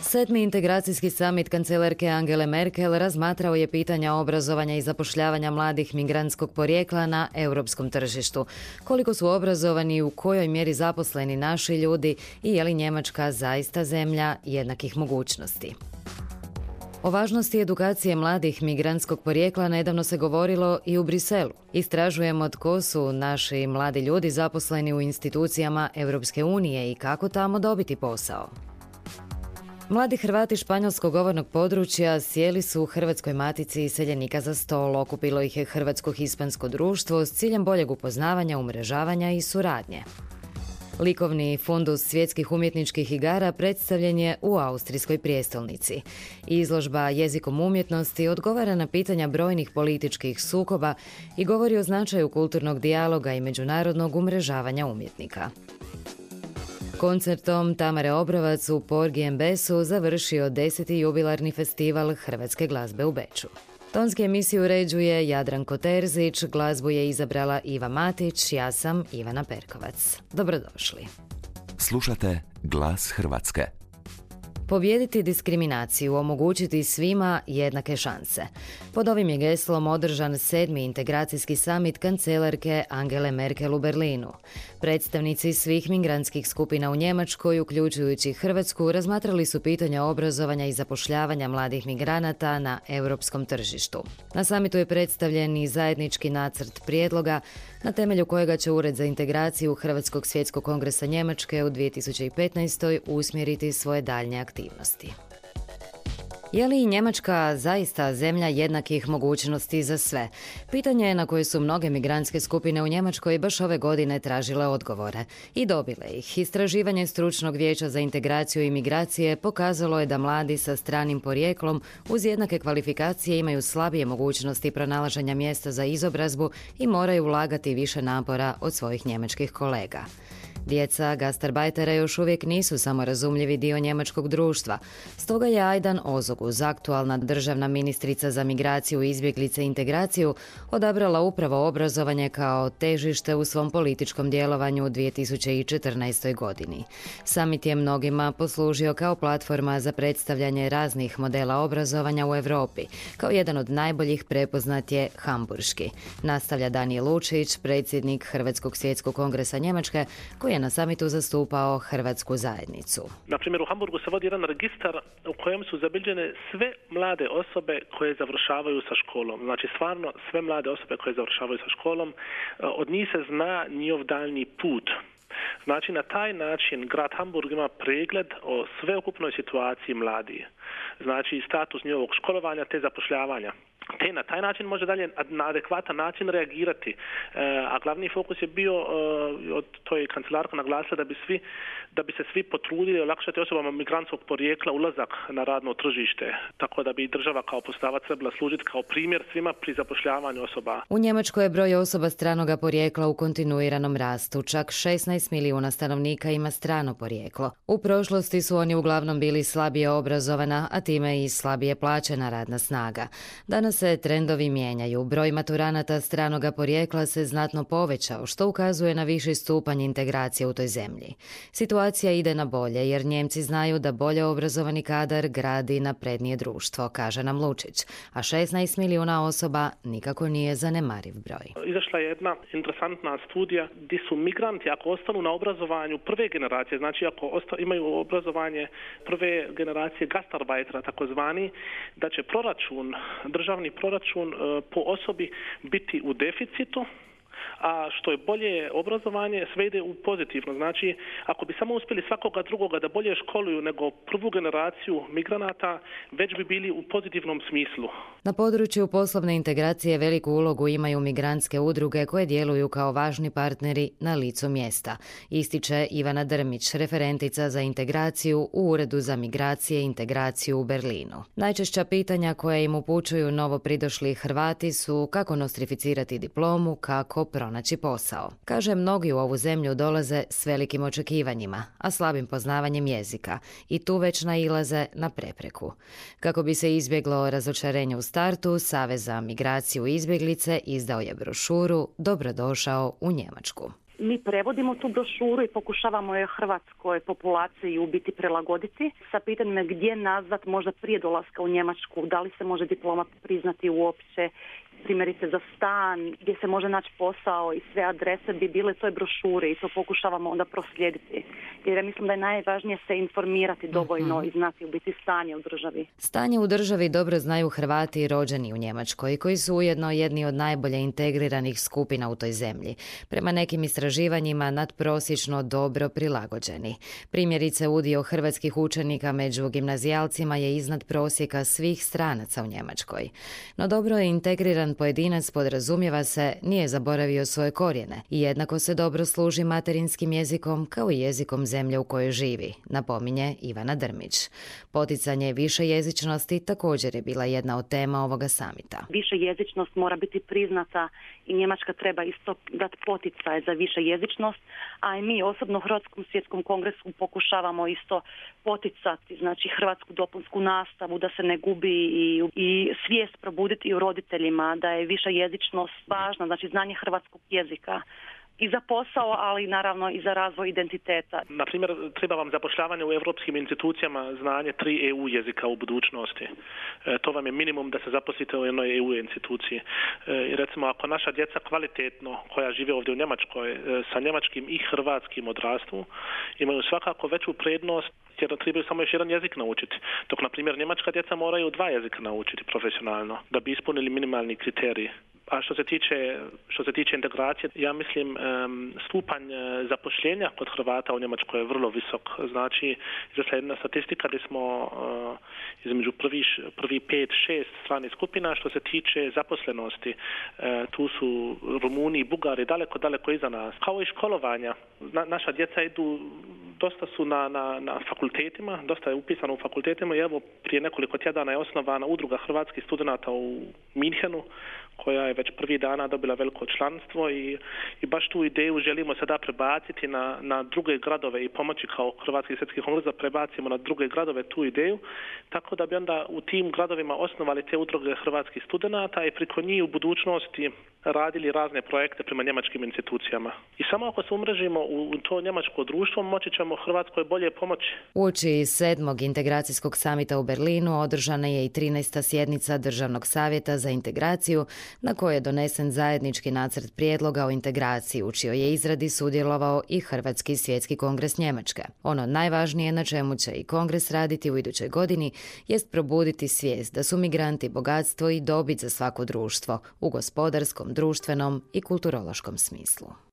Sedmi integracijski summit kancelarke Angele Merkel razmatrao je pitanja obrazovanja i zapošljavanja mladih migrantskog porijekla na europskom tržištu. Koliko su obrazovani i u kojoj mjeri zaposleni naši ljudi i je li Njemačka zaista zemlja jednakih mogućnosti? O važnosti edukacije mladih migrantskog porijekla nedavno se govorilo i u Briselu. Istražujemo tko su naši mladi ljudi zaposleni u institucijama Europske unije i kako tamo dobiti posao. Mladi Hrvati španjolskog govornog područja sjeli su u Hrvatskoj matici iseljenika za stol. Okupilo ih je Hrvatsko-hispansko društvo s ciljem boljeg upoznavanja, umrežavanja i suradnje. Likovni fundus svjetskih umjetničkih igara predstavljen je u austrijskoj prijestolnici. Izložba jezikom umjetnosti odgovara na pitanja brojnih političkih sukoba i govori o značaju kulturnog dijaloga i međunarodnog umrežavanja umjetnika. Koncertom Tamare Obrovac u Porgy and Bessu završio 10. jubilarni festival hrvatske glazbe u Beču. Tonski emisiju uređuje Jadranko Terzić, glazbu je izabrala Iva Matić, ja sam Ivana Perkovac. Dobrodošli. Slušate Glas Hrvatske. Pobijediti diskriminaciju, omogućiti svima jednake šanse. Pod ovim je geslom održan 7. integracijski summit kancelarke Angele Merkel u Berlinu. Predstavnici svih migrantskih skupina u Njemačkoj, uključujući Hrvatsku, razmatrali su pitanja obrazovanja i zapošljavanja mladih migranata na europskom tržištu. Na summitu je predstavljen i zajednički nacrt prijedloga na temelju kojega će Ured za integraciju Hrvatskog svjetskog kongresa Njemačke u 2015. usmjeriti svoje daljnje aktivnosti. Je li Njemačka zaista zemlja jednakih mogućnosti za sve? Pitanje je na koje su mnoge migrantske skupine u Njemačkoj baš ove godine tražile odgovore. I dobile ih. Istraživanje Stručnog vijeća za integraciju i migracije pokazalo je da mladi sa stranim porijeklom uz jednake kvalifikacije imaju slabije mogućnosti pronalaženja mjesta za izobrazbu i moraju ulagati više napora od svojih njemačkih kolega. Djeca gastarbajtera još uvijek nisu samorazumljivi dio njemačkog društva. Stoga je Ajdan Ozoguz, aktualna državna ministrica za migraciju, izbjeglice i integraciju, odabrala upravo obrazovanje kao težište u svom političkom djelovanju u 2014. godini. Summit je mnogima poslužio kao platforma za predstavljanje raznih modela obrazovanja u Europi. Kao jedan od najboljih prepoznat je hamburški. Nastavlja Danijel Lučić, predsjednik Hrvatskog svjetskog kongresa Njemačke, koji je na samitu zastupao hrvatsku zajednicu. Na primjer, u Hamburgu se vodi jedan registar u kojem su zabilježene sve mlade osobe koje završavaju sa školom. Znači, stvarno sve mlade osobe koje završavaju sa školom, od njih se zna njihov daljnji put. Znači, na taj način grad Hamburg ima pregled o sveukupnoj situaciji mladih. Znači, status njihovog školovanja te zapošljavanja. Te na taj način može dalje na adekvatan način reagirati. A glavni fokus je bio, to je kancelarka naglasila, da bi se svi potrudili olakšati osobama migrantskog porijekla ulazak na radno tržište. Tako da bi država kao poslodavac trebala služiti kao primjer svima pri zapošljavanju osoba. U Njemačkoj je broj osoba stranoga porijekla u kontinuiranom rastu. Čak 16 milijuna stanovnika ima strano porijeklo. U prošlosti su oni uglavnom bili slabije obrazovana, a time i slabije plaćena radna snaga. Danas se trendovi mijenjaju. Broj maturanata stranoga porijekla se znatno povećao, što ukazuje na viši stupanj integracije u toj zemlji. Situacija ide na bolje, jer Njemci znaju da bolje obrazovani kadar gradi naprednije društvo, kaže nam Lučić, a 16 milijuna osoba nikako nije zanemariv broj. Izašla je jedna interesantna studija gdje su migranti, ako ostanu na obrazovanju prve generacije, znači ako imaju obrazovanje prve generacije gastarbajtera, takozvani, da će državni proračun po osobi biti u deficitu, a što je bolje obrazovanje sve ide u pozitivno. Znači, ako bi samo uspjeli svakoga drugoga da bolje školuju nego prvu generaciju migranata, već bi bili u pozitivnom smislu. Na području poslovne integracije veliku ulogu imaju migrantske udruge koje djeluju kao važni partneri na licu mjesta, ističe Ivana Drmić, referentica za integraciju u Uredu za migracije i integraciju u Berlinu. Najčešća pitanja koje im upućuju novo pridošli Hrvati su kako nostrificirati diplomu, kako pronaći posao. Kaže, mnogi u ovu zemlju dolaze s velikim očekivanjima, a slabim poznavanjem jezika i tu već nailaze na prepreku. Kako bi se izbjeglo razočarenje u startu, Savez za migraciju i izbjeglice izdao je brošuru Dobrodošao u Njemačku. Mi prevodimo tu brošuru i pokušavamo je hrvatskoj populaciji u biti prilagoditi sa pitanjem gdje nazvat možda prije dolaska u Njemačku, da li se može diploma priznati uopće, primjerice za stan, gdje se može naći posao i sve adrese bi bile toj brošuri i to pokušavamo onda proslijediti. Jer ja mislim da je najvažnije se informirati dovoljno i znati u biti stanje u državi. Stanje u državi dobro znaju Hrvati rođeni u Njemačkoj, koji su ujedno jedni od najbolje integriranih skupina u toj zemlji. Prema nekim istraživanjima nadprosječno dobro prilagođeni. Primjerice, udio hrvatskih učenika među gimnazijalcima je iznad prosjeka svih stranaca u Njemačkoj. No dobro je integriran pojedinac, podrazumijeva se, nije zaboravio svoje korijene i jednako se dobro služi materinskim jezikom kao i jezikom zemlje u kojoj živi, napominje Ivana Drmić. Poticanje višejezičnosti također je bila jedna od tema ovoga samita. Višejezičnost mora biti priznata i Njemačka treba isto dati poticaj za višejezičnost, a i mi osobno u Hrvatskom svjetskom kongresu pokušavamo isto poticati, znači hrvatsku dopunsku nastavu da se ne gubi i svijest probuditi u roditeljima da je višejezičnost važna, znači znanje hrvatskog jezika i za posao, ali naravno i za razvoj identiteta. Na primjer, treba vam zapošljavanje u europskim institucijama znanje 3 EU jezika u budućnosti. To vam je minimum da se zaposlite u jednoj EU instituciji. Recimo, ako naša djeca kvalitetno, koja žive ovdje u Njemačkoj, sa njemačkim i hrvatskim odrastu, imaju svakako veću prednost jer trebaju samo još jedan jezik naučiti. Dok, na primjer, njemačka djeca moraju 2 jezika naučiti profesionalno da bi ispunili minimalni kriterij. A što se tiče integracije, ja mislim stupanj zapošljenja kod Hrvata u Njemačkoj je vrlo visok. Znači, izašla jedna statistika gdje smo između prvi 5-6 stranih skupina što se tiče zaposlenosti. Tu su Rumuni i Bugari daleko iza nas. Kao i školovanja. Naša djeca idu, dosta su na fakultetima, dosta je upisano u fakultetima i evo prije nekoliko tjedana je osnovana udruga hrvatskih studenata u Minhenu, koja je već prvi dana dobila veliko članstvo i baš tu ideju želimo sada prebaciti na druge gradove i pomoći kao Hrvatski svjetski kongres da prebacimo na druge gradove tu ideju, tako da bi onda u tim gradovima osnovali te udruge hrvatskih studenata i preko njih u budućnosti radili razne projekte prema njemačkim institucijama. I samo ako se umrežimo u to njemačko društvo, moći ćemo Hrvatskoj bolje pomoći. Uoči 7. integracijskog samita u Berlinu održana je i 13. sjednica Državnog savjeta za integraciju, na kojoj je donesen zajednički nacrt prijedloga o integraciji, u čijoj je izradi sudjelovao i Hrvatski svjetski kongres Njemačke. Ono najvažnije na čemu će i kongres raditi u idućoj godini jest probuditi svijest da su migranti bogatstvo i dobit za svako društvo u gospodarskom, društvenom i kulturološkom smislu.